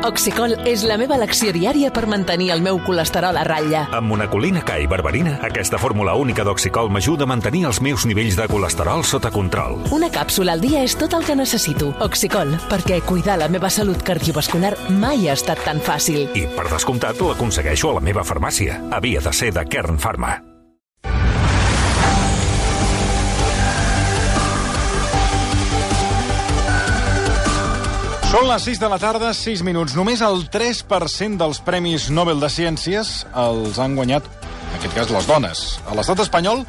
Oxicol és la meva elecció diària per mantenir el meu colesterol a ratlla. Amb monacolina K i berberina, aquesta fórmula única d'Oxicol m'ajuda a mantenir els meus nivells de colesterol sota control. Una càpsula al dia és tot el que necessito. Oxicol, perquè cuidar la meva salut cardiovascular mai ha estat tan fàcil. I, per descomptat, l'aconsegueixo a la meva farmàcia. Havia de ser de Kern Pharma. Són les 6 de la tarda, 6 minuts. Només el 3% dels Premis Nobel de Ciències els han guanyat, en aquest cas, les dones. A l'estat espanyol,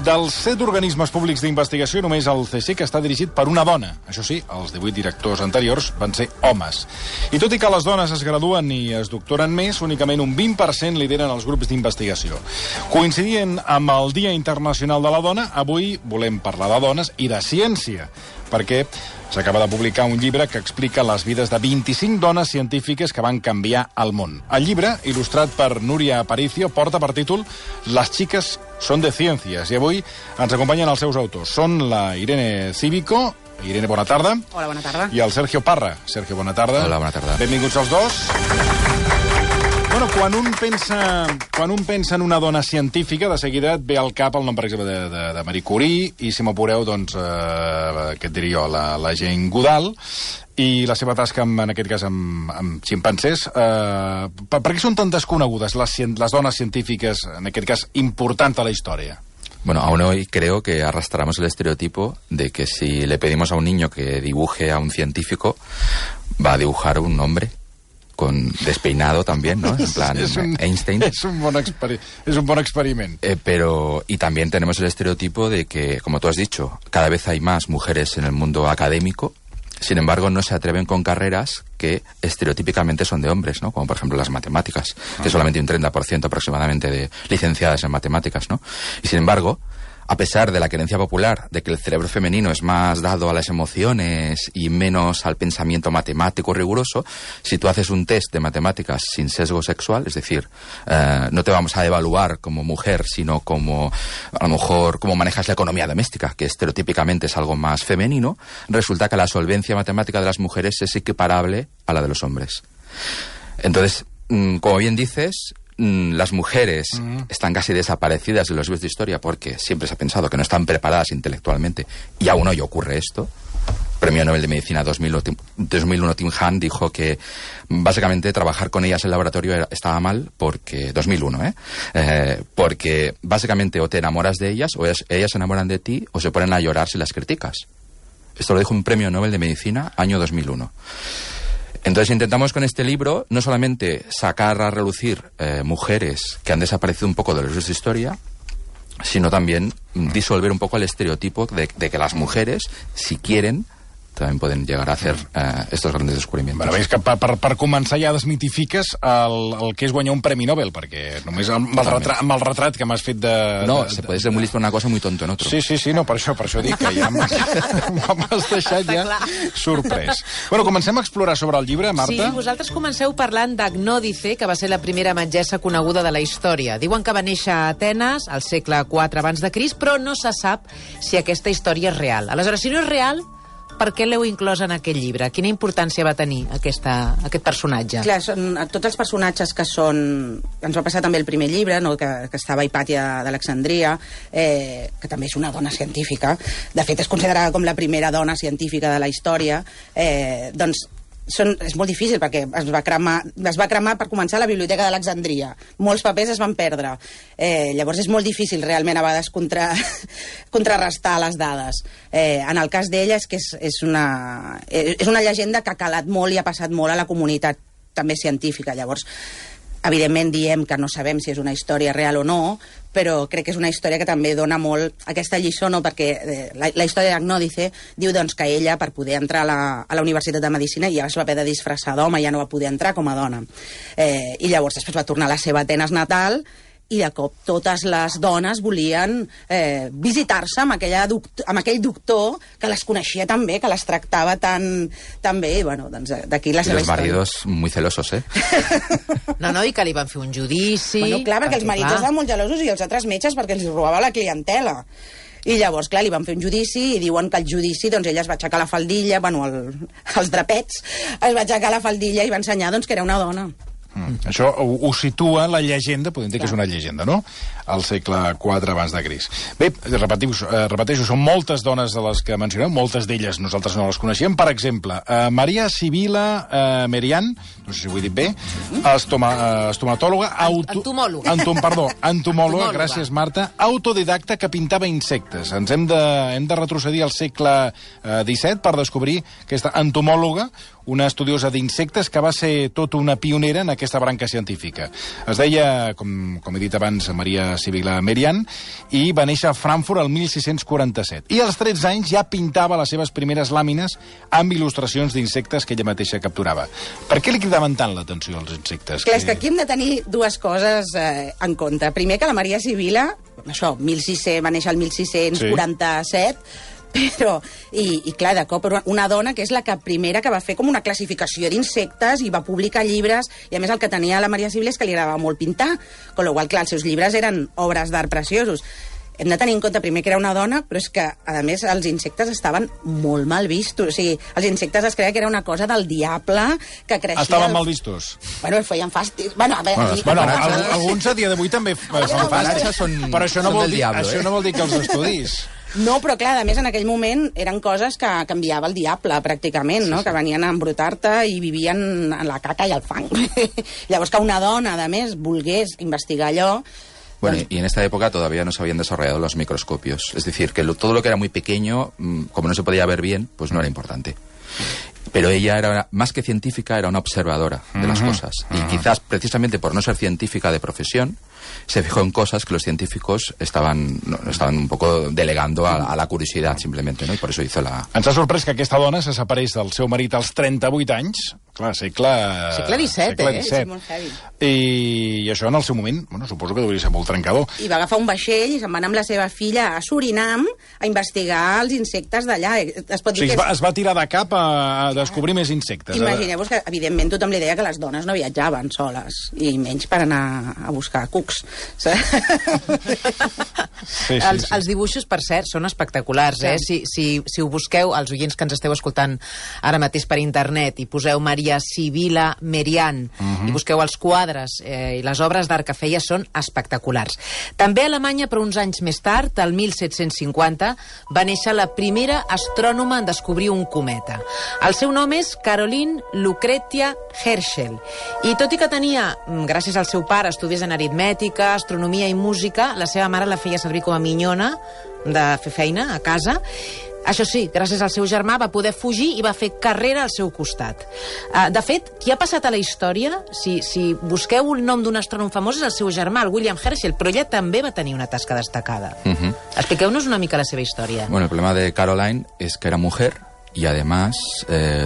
dels 7 organismes públics d'investigació, només el CSIC està dirigit per una dona. Això sí, els 18 directors anteriors van ser homes. I tot i que les dones es graduen i es doctoren més, únicament un 20% lideren els grups d'investigació. Coincidint amb el Dia Internacional de la Dona, avui volem parlar de dones i de ciència, perquè s'acaba de publicar un llibre que explica les vides de 25 dones científiques que van canviar el món. El llibre, il·lustrat per Núria Aparicio, porta per títol «Las chicas son de ciencias». I avui ens acompanyen els seus autors. Són la Irene Cívico. Irene, bona tarda. Hola, bona tarda. I el Sergio Parra. Sergio, bona tarda. Hola, bona tarda. Benvinguts els dos. Bueno, quan un pensa en una dona científica, de seguida et ve al cap el nom, per exemple, de Marie Curie, i si m'apureu, doncs, què et diria jo, la Jane Goodall, i la seva tasca, en aquest cas, amb ximpancers. Per què són tan desconegudes les dones científiques, en aquest cas, importants a la història? Bueno, aún hoy creo que arrastramos el estereotipo de que si le pedimos a un niño que dibuje a un científico, va a dibujar un hombre. Con despeinado también, ¿no? En plan Einstein. Es un buen experimento. Pero, y también tenemos el estereotipo de que, como tú has dicho, cada vez hay más mujeres en el mundo académico, sin embargo no se atreven con carreras que estereotípicamente son de hombres, ¿no? Como por ejemplo las matemáticas, que solamente un 30% aproximadamente de licenciadas en matemáticas, ¿no? Y sin embargo, a pesar de la creencia popular de que el cerebro femenino es más dado a las emociones y menos al pensamiento matemático riguroso, si tú haces un test de matemáticas sin sesgo sexual, es decir, no te vamos a evaluar como mujer, sino como, a lo mejor, cómo manejas la economía doméstica, que estereotípicamente es algo más femenino, resulta que la solvencia matemática de las mujeres es equiparable a la de los hombres. Entonces, como bien dices, las mujeres están casi desaparecidas de los libros de historia porque siempre se ha pensado que no están preparadas intelectualmente, y aún hoy ocurre esto. Premio Nobel de Medicina 2001 Tim Hunt dijo que básicamente trabajar con ellas en el laboratorio estaba mal porque 2001, porque básicamente o te enamoras de ellas o ellas se enamoran de ti o se ponen a llorar si las criticas. Esto lo dijo un Premio Nobel de Medicina año 2001. Entonces intentamos con este libro no solamente sacar a relucir mujeres que han desaparecido un poco de los libros de historia, sino también disolver un poco el estereotipo de que las mujeres, si quieren, també poden llegar a fer estos grandes descubrimientos. Bueno, veus que per començar ja desmitifiques el que és guanyar un Premi Nobel, perquè només amb el retrat que m'has fet de... No, se puede ser muy listo en una cosa y muy tonto en otro. Sí, no, per això dic que ja m'has deixat ja sorprès. Bueno, comencem a explorar sobre el llibre, Marta. Sí, vosaltres comenceu parlant d'Agnòdice, que va ser la primera metgessa coneguda de la història. Diuen que va néixer a Atenes al segle IV abans de Crist, però no se sap si aquesta història és real. Aleshores, si no és real, per què l'heu inclòs en aquest llibre? Quina importància va tenir aquest personatge? Clar, són tots els personatges que són... Ens va passar també el primer llibre, no? que estava Hipàtia d'Alexandria, que també és una dona científica. De fet, és considerada com la primera dona científica de la història. Doncs és molt difícil perquè es va cremar per començar la Biblioteca d'Alexandria. Molts papers es van perdre. Llavors és molt difícil realment a vegades contrarrestar les dades. En el cas d'ella és que és una llegenda que ha calat molt i ha passat molt a la comunitat també científica. Llavors, evidentment diem que no sabem si és una història real o no, però crec que és una història que també dona molt aquesta lliçó, no? Perquè la història d'Agnòdice diu doncs, que ella, per poder entrar a la Universitat de Medicina, ja es va haver de disfressar d'home, ja no va poder entrar com a dona. I llavors després va tornar a la seva Atenes natal, i de cop totes les dones volien visitar-se amb aquell doctor que les coneixia tan bé, que les tractava tan bé, i bueno, doncs d'aquí la seva història. I els maridos muy celosos, No, i que li van fer un judici... Bueno, clar, perquè els marits estaven molt gelosos i els altres metges perquè els robava la clientela. I llavors, clar, li van fer un judici i diuen que al judici doncs, ella es va aixecar la faldilla, bueno, els drapets, es va aixecar la faldilla i va ensenyar doncs, que era una dona. Això ho situa la llegenda, podem dir que és una llegenda, no?, al segle IV abans de Crist. Bé, repeteixo, són moltes dones de les que mencioneu, moltes d'elles nosaltres no les coneixíem. Per exemple, Maria Sibila Merian, no sé si ho he dit bé, estomatòloga... Entomòloga, gràcies, Marta, autodidacta que pintava insectes. Ens hem de retrocedir al segle XVII per descobrir aquesta entomòloga, una estudiosa d'insectes que va ser tot una pionera en aquesta branca científica. Es deia, com he dit abans, Maria Sibila Merian, i va néixer a Frankfurt el 1647. I als 13 anys ja pintava les seves primeres làmines amb il·lustracions d'insectes que ella mateixa capturava. Per què li cridaven tant l'atenció als insectes? Clar, és que aquí hem de tenir dues coses en compte. Primer, que la Maria Sibila, això, va néixer el 1647, però, i clar, de cop, una dona que és la primera que va fer com una classificació d'insectes i va publicar llibres, i a més el que tenia la Maria Sibila és que li agradava molt pintar, con lo qual, clar, els seus llibres eren obres d'art preciosos. Hem de tenir en compte primer que era una dona, però és que, a més, els insectes estaven molt mal vistos. O sigui, els insectes es creia que era una cosa del diable que creixia... Estaven mal vistos? Bueno, feien fàstics. Bueno, a veure... Alguns a dia d'avui també fan fàstics, però això no vol dir que els estudis. No, però clar, a més, en aquell moment eren coses que canviava el diable, pràcticament, no? Que venien a embrutar-te i vivien en la caca i el fang. Llavors, que una dona, a més, volgués investigar allò... Bueno, y en esta época todavía no se habían desarrollado los microscopios. Es decir, que todo lo que era muy pequeño, como no se podía ver bien, pues no era importante. Pero ella era, más que científica, era una observadora de las cosas. Y quizás, precisamente por no ser científica de profesión, se fijó en cosas que los científicos estaban un poco delegando a la curiosidad, simplemente, ¿no? Y por eso hizo la... Ens ha sorprès que aquesta dona se separés del seu marit als 38 anys. Clar, segle XVII. Sí, molt heavy. I això en el seu moment, bueno, suposo que devia ser molt trencador. I va agafar un vaixell i se'n va anar amb la seva filla a Surinam a investigar els insectes d'allà. Es pot dir que es va tirar de cap a descobrir més insectes. Imagineu-vos que, evidentment, tothom li deia que les dones no viatjaven soles, i menys per anar a buscar cucs. Els dibuixos, per cert, són espectaculars, eh? Si ho busqueu, els oients que ens esteu escoltant ara mateix per internet, i poseu Maria Sibila Merian, i busqueu els quadres i les obres d'art que feia, són espectaculars. També a Alemanya, però uns anys més tard, el 1750, va néixer la primera astrònoma en descobrir un cometa. El seu nom és Caroline Lucretia Herschel, i tot i que tenia, gràcies al seu pare, estudis en aritmètica, astronomia i música, la seva mare la feia servir com a minyona de fer feina a casa. Això sí, gràcies al seu germà va poder fugir i va fer carrera al seu costat. De fet, qui ha passat a la història, si busqueu el nom d'un astrònom famós, és el seu germà, el William Herschel, però ella també va tenir una tasca destacada. Expliqueu-nos una mica la seva història. Bueno, el problema de Caroline es que era mujer y además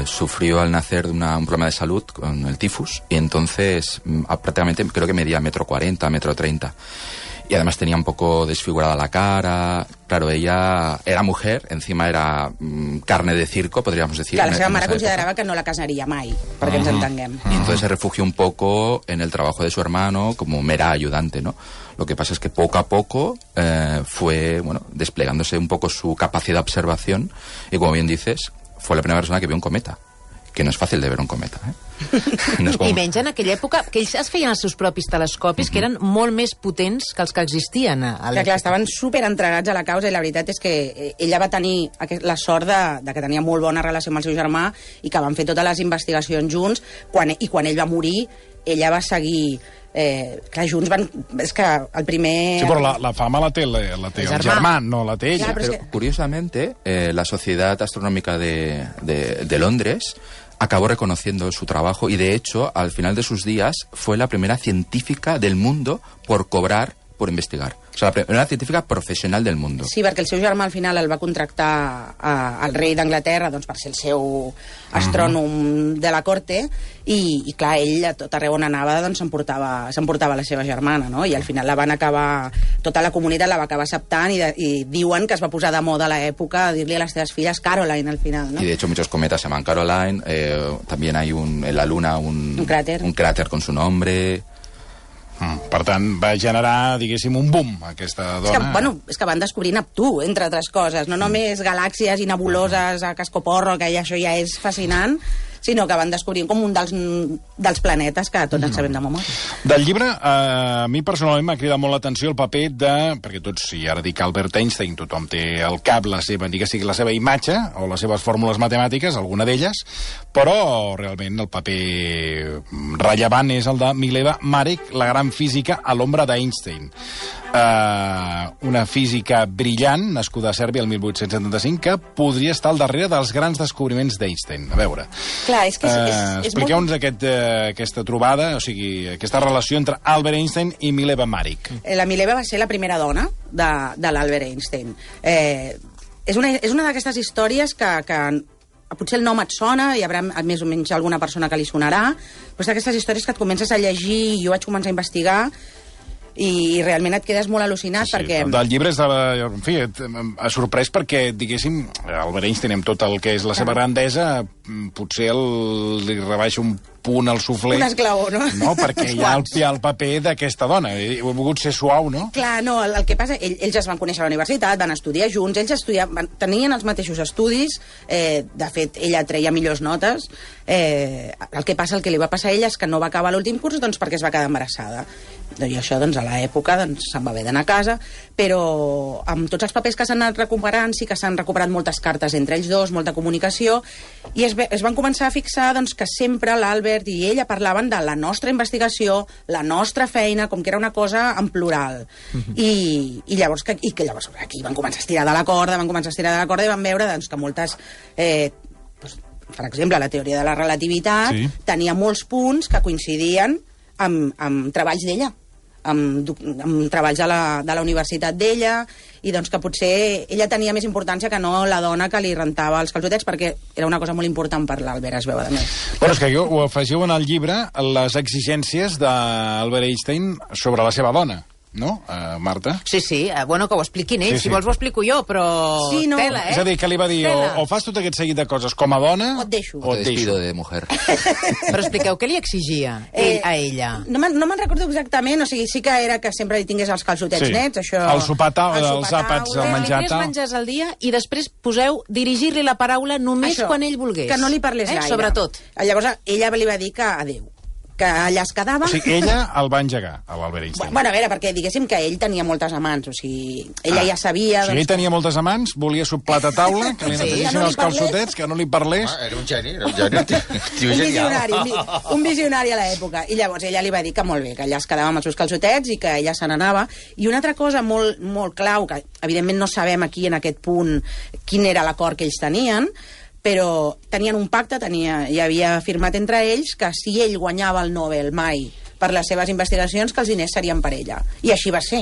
sufrió al nacer un problema de salud con el tifus, y entonces prácticamente creo que medía 1,40 m, 1,30 m. Y además tenía un poco desfigurada la cara. Claro, ella era mujer, encima era carne de circo, podríamos decir. Claro, la seva mare considerava que no la casaria mai, perquè ens entenguem. Y entonces se refugió un poco en el trabajo de su hermano como mera ayudante, ¿no? Lo que pasa es que poco a poco fue, bueno, desplegándose un poco su capacidad de observación, y como bien dices, fue la primera persona que vio un cometa. Que no és fàcil de veure un cometa, No com... I menys en aquella època, que ells es feien els seus propis telescopis, que eren molt més potents que els que existien a l'època. Clar, estaven superentregats a la causa, i la veritat és que ella va tenir la sort de que tenia molt bona relació amb el seu germà, i que van fer totes les investigacions junts, i quan ell va morir, ella va seguir... clar, junts van... És que el primer... Sí, però la fama la té el germà, no la té ella. Clar, però curiosamente, la Sociedad Astronómica de Londres acabó reconociendo su trabajo, y de hecho, al final de sus días, fue la primera científica del mundo por cobrar por investigar. O sea, la primera científica professional del mundo. Sí, perquè el seu germà al final el va contractar al rei d'Anglaterra, doncs, per ser el seu astrònom de la corte, i clar, ell a tot arreu on anava doncs, s'emportava la seva germana, no? I al final la van acabar, tota la comunitat la va acabar acceptant, i diuen que es va posar de moda a l'època a dir-li a les seves filles Caroline al final, no? Y de hecho muchos cometas se llaman Caroline, también hay en la Luna un cráter con su nombre. Per tant, va generar, diguéssim, un boom, aquesta dona. És que van descobrir Neptú, entre altres coses. No només galàxies i nebuloses a cascoporro, que això ja és fascinant, sinó que van descobrir com un dels planetes que tots ens sabem de memòria. Del llibre, a mi personalment m'ha cridat molt l'atenció el paper de... Perquè tots, si ara dic Albert Einstein, tothom té al cap la seva, ni que sigui la seva imatge o les seves fórmules matemàtiques, alguna d'elles, però realment el paper rellevant és el de Mileva Marek, la gran física a l'ombra d'Einstein. Una física brillant, nascuda a Sèrbia el 1875, que podria estar al darrere dels grans descobriments d'Einstein. A veure... Clar, és que expliqueu-nos aquesta trobada, o sigui, aquesta relació entre Albert Einstein i Mileva Marek. La Mileva va ser la primera dona de l'Albert Einstein. És una d'aquestes històries que potser el nom et sona, hi haurà més o menys alguna persona que li sonarà, però és d'aquestes històries que et comences a llegir, jo vaig començar a investigar, i realment et quedes molt al·lucinat perquè... Del llibre és en fi, ha sorprès perquè, diguéssim, Albert Einstein, amb tot el que és la seva grandesa, potser li rebaixa un punt al suflé. Un esglaó, no? No, perquè hi ha el paper d'aquesta dona. He volgut ser suau, no? Clar, no, el que passa... Ells es van conèixer a la universitat, van estudiar junts, tenien els mateixos estudis, de fet, ella treia millors notes. El que passa, el que li va passar a ella és que no va acabar l'últim curs perquè es va quedar embarassada. I això, doncs, a l'època se'n va haver d'anar a casa, però amb tots els papers que s'han anat recuperant, sí que s'han recuperat moltes cartes entre ells dos, molta comunicació, i es van començar a fixar doncs, que sempre l'Albert i ella parlaven de la nostra investigació, la nostra feina, com que era una cosa en plural. I llavors aquí van començar a estirar de la corda, i van veure doncs, que moltes... per exemple, la teoria de la relativitat tenia molts punts que coincidien amb treballs d'ella, amb treballs de la universitat d'ella, i doncs que potser ella tenia més importància que no la dona que li rentava els calçotets, perquè era una cosa molt important per l'Albert, es veu, a més. Però és que ho afegiu en el llibre, les exigències d'Albert Einstein sobre la seva dona. No, Marta? Sí, bueno, que ho expliquin ells. Si vols ho explico jo, però... Sí, no. Tela, És a dir, que li va dir, o fas tot aquest seguit de coses com a dona... O et deixo. O te despido de mujer. Però expliqueu, què li exigia a ella? No me'n recordo exactament, o sigui, sí que era que sempre li tingués els calçotets nets, això... El sopar els àpats, el menjar tal... 3 menjars al dia i després poseu dirigir-li la paraula només quan ell volgués. Que no li parlés gaire. Sobretot. Llavors, ella li va dir que adéu. Que allà es quedava... O sigui, ella el va engegar, a l'Albert Einstein. Bueno, a veure, perquè diguéssim que ell tenia moltes amants, o sigui, ella ja sabia... O sigui, ell tenia moltes amants, volia soplat a taula, que li netegessin els calçotets, que no li parlés... Era un geni, tio genial. Un visionari a l'època. I llavors ella li va dir que molt bé, que allà es quedava amb els seus calçotets i que ella se n'anava. I una altra cosa molt, molt clau, que evidentment no sabem aquí en aquest punt quin era l'acord que ells tenien, però tenien un pacte, hi havia firmat entre ells que si ell guanyava el Nobel mai per les seves investigacions, que els diners serien per ella. I així va ser.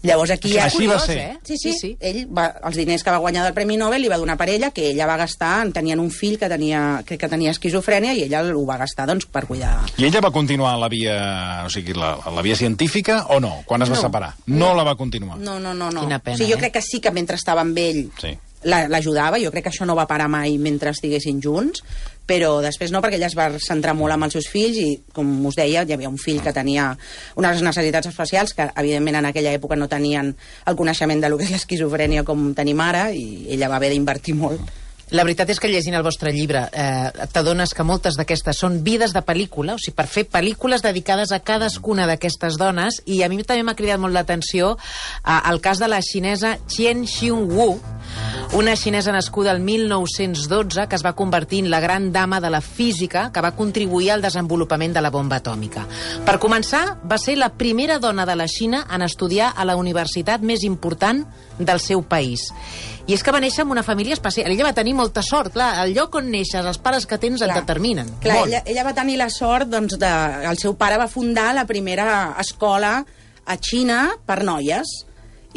Llavors aquí... Així va ser. Sí. Ell els diners que va guanyar del Premi Nobel li va donar per ella, que ella va gastar, tenien un fill que tenia esquizofrènia i ella ho va gastar doncs, per cuidar. I ella va continuar la via, o sigui, la via científica o no? Quan es va separar? No la va continuar. No. Quina pena, o sigui, jo crec que sí que mentre estava amb ell l'ajudava, jo crec que això no va parar mai mentre estiguessin junts, però després no, perquè ella es va centrar molt amb els seus fills i, com us deia, hi havia un fill que tenia unes necessitats especials que, evidentment, en aquella època no tenien el coneixement de lo que és l'esquizofrènia com tenim ara, i ella va haver d'invertir molt. La veritat és que llegint el vostre llibre t'adones que moltes d'aquestes són vides de pel·lícula, o sigui, per fer pel·lícules dedicades a cadascuna d'aquestes dones, i a mi també m'ha cridat molt l'atenció el cas de la xinesa Chen Xiongwu, una xinesa nascuda el 1912 que es va convertir en la gran dama de la física que va contribuir al desenvolupament de la bomba atòmica. Per començar, va ser la primera dona de la Xina en estudiar a la universitat més important del seu país. I és que va néixer en una família especial. Ella va tenir molta sort, clar, el lloc on neixes, els pares que tens et determinen. Clar, ella va tenir la sort, doncs, el seu pare va fundar la primera escola a Xina per noies,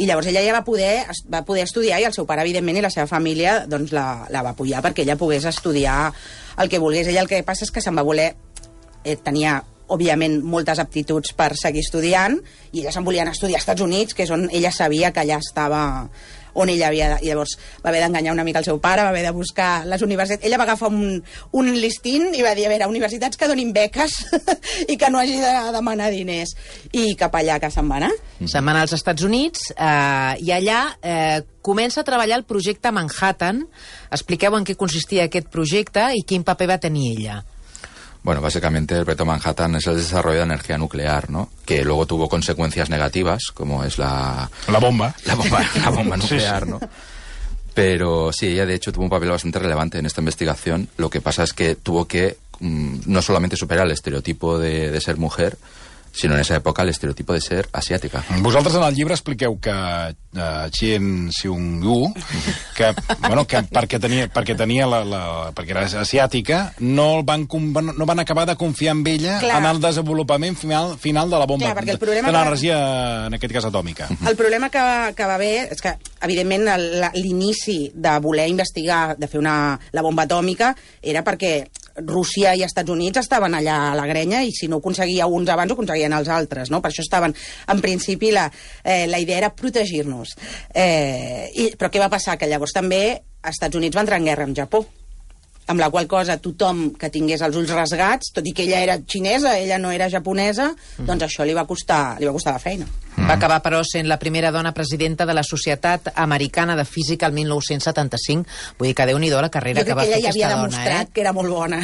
i llavors ella ja va poder estudiar, i el seu pare, evidentment, i la seva família doncs, la va apoyar perquè ella pogués estudiar el que volgués. Ella el que passa és que se'n va voler... tenia, òbviament, moltes aptituds per seguir estudiant, i ella se'n volia anar a estudiar als Estats Units, que és on ella sabia que allà estava on ella havia... Llavors va haver d'enganyar una mica el seu pare, va haver de buscar les universitats. Ella va agafar un listín i va dir, a veure, universitats que donin beques i que no hagi de demanar diners. I cap allà que se'n va anar. Se'n va anar als Estats Units i allà comença a treballar el projecte Manhattan. Expliqueu en què consistia aquest projecte i quin paper va tenir ella. Bueno, básicamente el proyecto Manhattan es el desarrollo de energía nuclear, ¿no? Que luego tuvo consecuencias negativas, como es la bomba nuclear, ¿no? Pero sí, ella de hecho tuvo un papel bastante relevante en esta investigación. Lo que pasa es que tuvo que no solamente superar el estereotipo de ser mujer, sinó en esa època l'estereotipo de ser asiàtica. Vosaltres en el llibre expliqueu que Chien Seung-gu, que perquè era asiàtica, no van acabar de confiar en ella en el desenvolupament final de la bomba, de l'energia, en aquest cas atòmica. El problema que va haver és que, evidentment, l'inici de voler investigar, de fer la bomba atòmica, era perquè Rússia i Estats Units estaven allà a la grenya i si no ho aconseguia uns abans ho aconseguien els altres, no? Per això estaven, en principi, la idea era protegir-nos. Però què va passar? Que llavors també Estats Units va entrar en guerra amb Japó, amb la qual cosa tothom que tingués els ulls rasgats, tot i que ella era xinesa, ella no era japonesa, doncs això li va costar la feina. Va acabar, però, sent la primera dona presidenta de la Societat Americana de Física el 1975. Vull dir que Déu-n'hi-do la carrera que va fer aquesta dona. Jo crec que ella ja havia demostrat que era molt bona.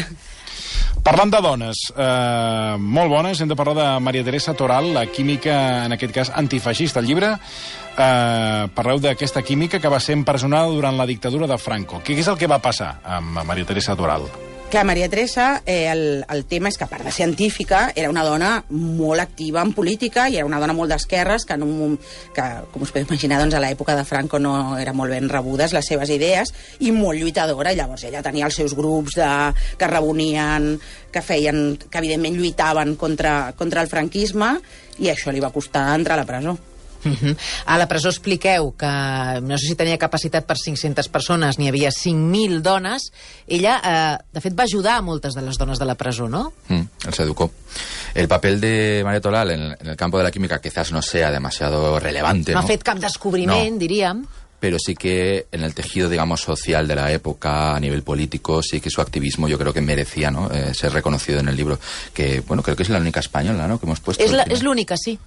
Parlant de dones, molt bones, hem de parlar de Maria Teresa Toral, la química, en aquest cas, antifeixista. Al llibre parleu d'aquesta química que va ser empresonada durant la dictadura de Franco. Què és el que va passar amb Maria Teresa Toral? Clar, Maria Teresa, el tema és que, a part de científica, era una dona molt activa en política i era una dona molt d'esquerres que, com us podeu imaginar, doncs, a l'època de Franco no eren molt ben rebudes les seves idees i molt lluitadora. Llavors ella tenia els seus grups que reunien, que evidentment lluitaven contra el franquisme i això li va costar entrar a la presó. A la presó expliqueu que no sé si tenia capacitat per 500 persones, n'hi havia 5.000 dones. Ella, de fet, va ajudar a moltes de les dones de la presó, ¿no? Se educó. El papel de Maria Toral en el campo de la química quizás no sea demasiado relevante, ¿no? No ha fet cap descobriment, diríem. Pero sí que en el tejido, digamos, social de la época, a nivel político, sí que su activismo yo creo que merecía, ¿no? Ser reconocido en el libro. Que, bueno, creo que es la única española, ¿no?, que hemos puesto. És l'única, sí.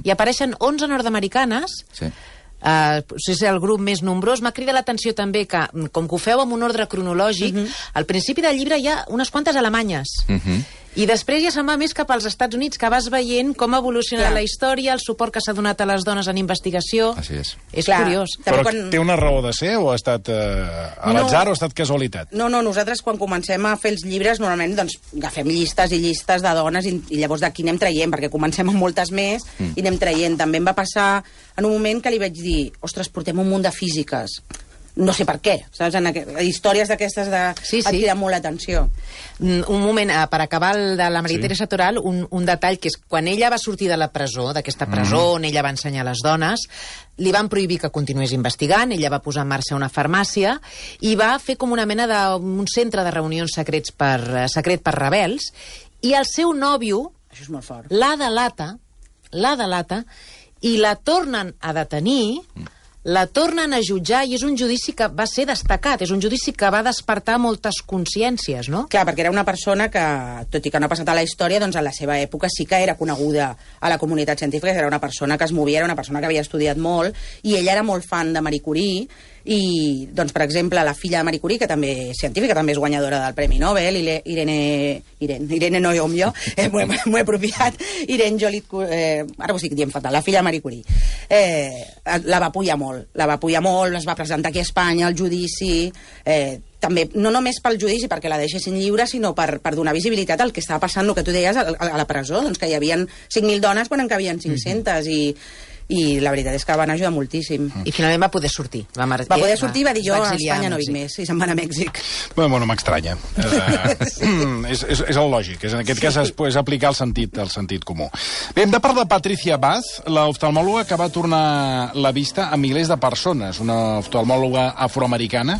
I apareixen 11 nord-americanes. Sí. És el grup més nombrós. M'ha cridat l'atenció també que, com que ho feu amb un ordre cronològic, al principi del llibre hi ha unes quantes alemanyes. I després ja se'n va més cap als Estats Units, que vas veient com ha evolucionat la història, el suport que s'ha donat a les dones en investigació. És curiós. Però té una raó de ser o ha estat a l'atzar o ha estat casualitat? No, nosaltres quan comencem a fer els llibres normalment doncs agafem llistes i llistes de dones i llavors d'aquí anem traient, perquè comencem amb moltes més i anem traient. També em va passar en un moment que li vaig dir, ostres, portem un munt de físiques. No sé per què, saps? Històries d'aquestes et criden molt l'atenció. Un moment, per acabar de la Maria Teresa Toral, un detall que és quan ella va sortir de la presó, d'aquesta presó on ella va ensenyar a les dones, li van prohibir que continués investigant, ella va posar en marxa una farmàcia i va fer com una mena d'un centre de reunions secret per rebels, i el seu nòvio la delata i la tornen a detenir, la tornen a jutjar i és un judici que va ser destacat, és un judici que va despertar moltes consciències, no? Clar, perquè era una persona que, tot i que no ha passat a la història, doncs a la seva època sí que era coneguda a la comunitat científica, era una persona que es movia, era una persona que havia estudiat molt, i ella era molt fan de Marie Curie, i, doncs, per exemple, la filla de Marie Curie, que també és científica, també és guanyadora del Premi Nobel, Irene no jo, m'ho he apropiat, Irene Jolit, ara ho estic dient fatal, la filla de Marie Curie, la va apoyar molt, es va presentar aquí a Espanya, al judici, també, no només pel judici, perquè la deixessin lliure, sinó per donar visibilitat al que estava passant, el que tu deies, a la presó, doncs que hi havia 5.000 dones quan en cabien 500, i la veritat és que van ajudar moltíssim. I finalment va poder sortir. Va poder sortir i va dir, jo a Espanya no vinc més, i se'n van a Mèxic. Bueno, m'estranya. És el lògic. En aquest cas és aplicar el sentit comú. Bé, hem de parlar de Patricia Bath, l'oftalmòloga que va tornar la vista a milers de persones, una oftalmòloga afroamericana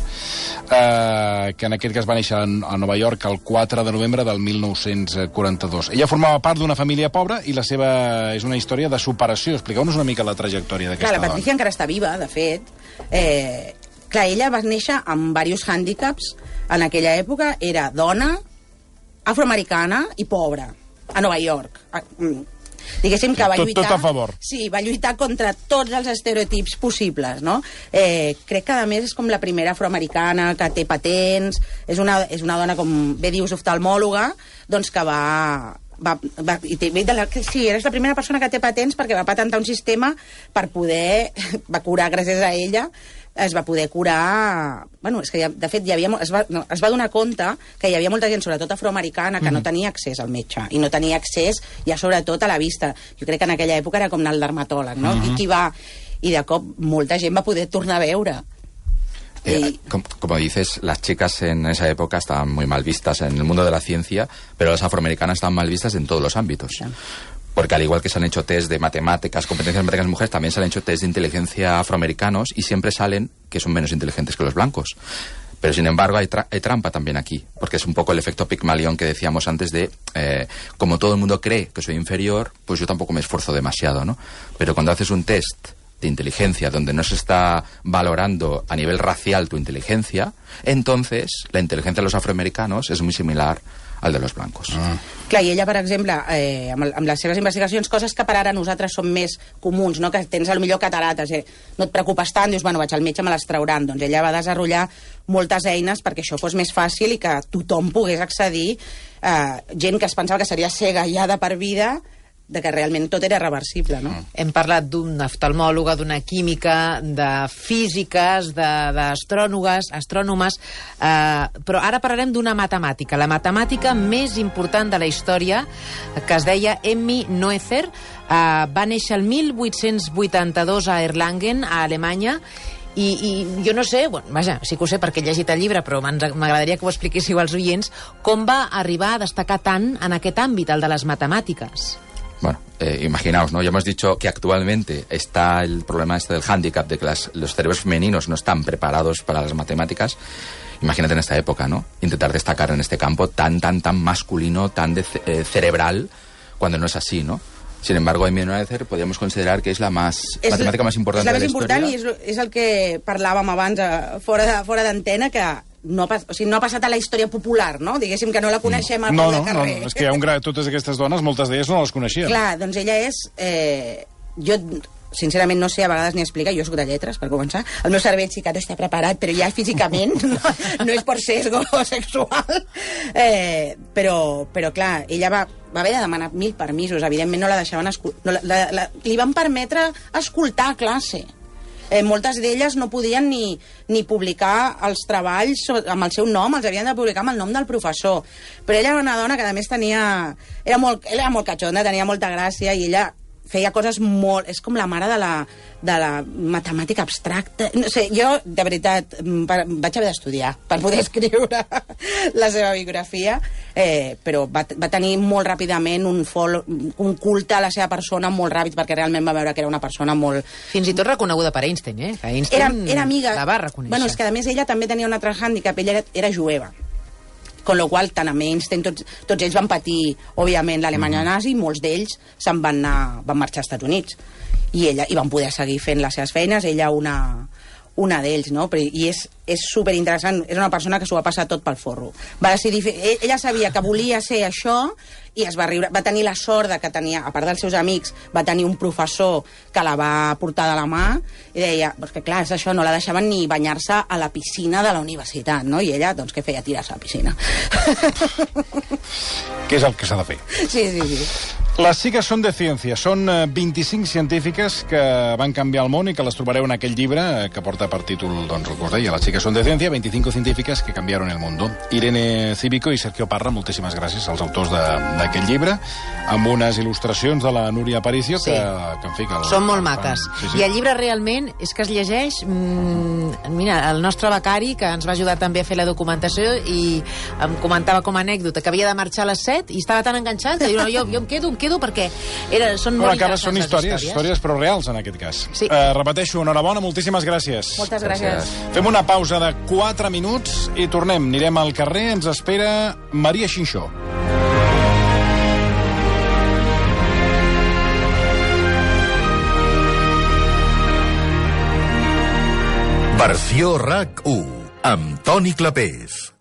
que en aquest cas va néixer a Nova York el 4 de novembre del 1942. Ella formava part d'una família pobra i la seva és una història de superació. Expliqueu-nos una mica mica la trajectòria d'aquesta Clar, dona. la Patricia encara està viva, de fet. Clar, ella va néixer amb diversos hàndicaps. En aquella època era dona, afroamericana i pobra, a Nova York. Diguéssim que va lluitar... Tot a favor. Sí, va lluitar contra tots els estereotips possibles, no? Crec que, a més, és com la primera afroamericana que té patents, és una dona, com bé dius, oftalmòloga, doncs que sí, és la primera persona que té patents perquè va patentar un sistema per poder... va curar, gràcies a ella, es va poder curar... Bueno, és que, de fet, es va donar compte que hi havia molta gent, sobretot afroamericana, que no tenia accés al metge, i no tenia accés, ja sobretot, a la vista. Jo crec que en aquella època era com anar al dermatòleg, no? I de cop molta gent va poder tornar a veure. Como dices, las chicas en esa época estaban muy mal vistas en el mundo de la ciencia, pero las afroamericanas estaban mal vistas en todos los ámbitos. Sí. Porque al igual que se han hecho test de matemáticas, competencias matemáticas de mujeres, también se han hecho test de inteligencia afroamericanos y siempre salen que son menos inteligentes que los blancos. Pero sin embargo hay trampa también aquí, porque es un poco el efecto Pigmalión que decíamos antes de, como todo el mundo cree que soy inferior, pues yo tampoco me esfuerzo demasiado, ¿no? Pero cuando haces un test de inteligencia donde no se está valorando a nivel racial tu inteligencia, entonces la inteligencia de los afroamericanos es muy similar al de los blancos. Clar, i ella, per exemple, amb les seves investigacions, coses que per ara nosaltres som més comuns, no? Que tens potser catarates, no et preocupes tant, dius, bueno, vaig al metge, me les trauran. Doncs ella va desenvolupar moltes eines perquè això fos més fàcil i que tothom pogués accedir, gent que es pensava que seria cega ja de per vida, de que realment tot era reversible, no? Hem parlat d'una oftalmòloga, d'una química, de físiques, d'astrònomes, però ara parlarem d'una matemàtica, la matemàtica més important de la història, que es deia Emmy Noether, va néixer el 1882 a Erlangen, a Alemanya, i jo no sé, bueno, vaja, sí que ho sé perquè he llegit el llibre, però m'agradaria que ho expliquéssiu als oients, com va arribar a destacar tant en aquest àmbit, el de les matemàtiques. Bueno, imaginaos, ¿no? Ya hemos dicho que actualmente está el problema del hándicap de que los cerebros femeninos no están preparados para las matemáticas. Imagínate en esta época, ¿no? Intentar destacar en este campo tan masculino, tan cerebral, cuando no es así, ¿no? Sin embargo, Emmy Noether podríamos considerar que es la matemática más importante de la historia. És la més important i és el que parlàvem abans fora d'antena, que no ha passat a la història popular, no? Diguéssim que no la coneixem al peu de carrer. No, és que totes aquestes dones, moltes d'elles no les coneixien. Clar, doncs ella és... Jo, sincerament, no sé a vegades ni explicar, jo soc de lletres, per començar. El meu cervell sí que no està preparat, però ja físicament no és per sesgo sexual. Però clar, ella va haver de demanar 1000 permisos, evidentment no la deixaven... li van permetre escoltar a classe. Moltes d'elles no podien ni publicar els treballs amb el seu nom, els havien de publicar amb el nom del professor. Però ella era una dona que, a més, era molt catxonda, tenia molta gràcia, i ella feia coses molt... És com la mare de la matemàtica abstracta. No sé, jo, de veritat, vaig haver d'estudiar per poder escriure la seva biografia, però va tenir molt ràpidament un culte a la seva persona molt ràpid, perquè realment va veure que era una persona molt... Fins i tot reconeguda per Einstein, que Einstein era amiga. La va reconèixer. Bueno, és que, a més, ella també tenia un altre hàndicap, ella era jueva. Con lo qual, tant amb Einstein, tots ells van patir, òbviament, l'Alemanya nazi, i molts d'ells van marxar als Estats Units. I van poder seguir fent les seves feines, ella una d'ells, no? I és superinteressant, és una persona que s'ho va passar tot pel forro. Va decidir ella sabia que volia ser això i va tenir la sort que tenia, a part dels seus amics, va tenir un professor que la va portar de la mà i deia, que clar, és això, no la deixaven ni banyar-se a la piscina de la universitat, no? I ella, doncs, què feia? Tirar-se a la piscina. Que és el que s'ha de fer. Sí. Les chicas son de ciencia. Són 25 científiques que van canviar el món i que les trobareu en aquell llibre que porta per títol, doncs, el que us deia, Las chicas son de ciencia, 25 científiques que cambiaron el mundo. Irene Cívico i Sergio Parra, moltíssimes gràcies als autors d'aquest llibre, amb unes il·lustracions de la Núria Aparicio, que en fi... Són molt maques. Sí. I el llibre realment és que es llegeix... Mira, el nostre becari, que ens va ajudar també a fer la documentació, i em comentava com a anècdota que havia de marxar a les 7 i estava tan enganxat que diu, no, jo em quedo perquè són molt interessants. Són històries però reals, en aquest cas. Sí. Repeteixo, enhorabona, moltíssimes gràcies. Moltes gràcies. Fem una pausa de 4 minuts i tornem. Anirem al carrer, ens espera Maria Xinxó. Versió RAC 1, amb Toni Clapés.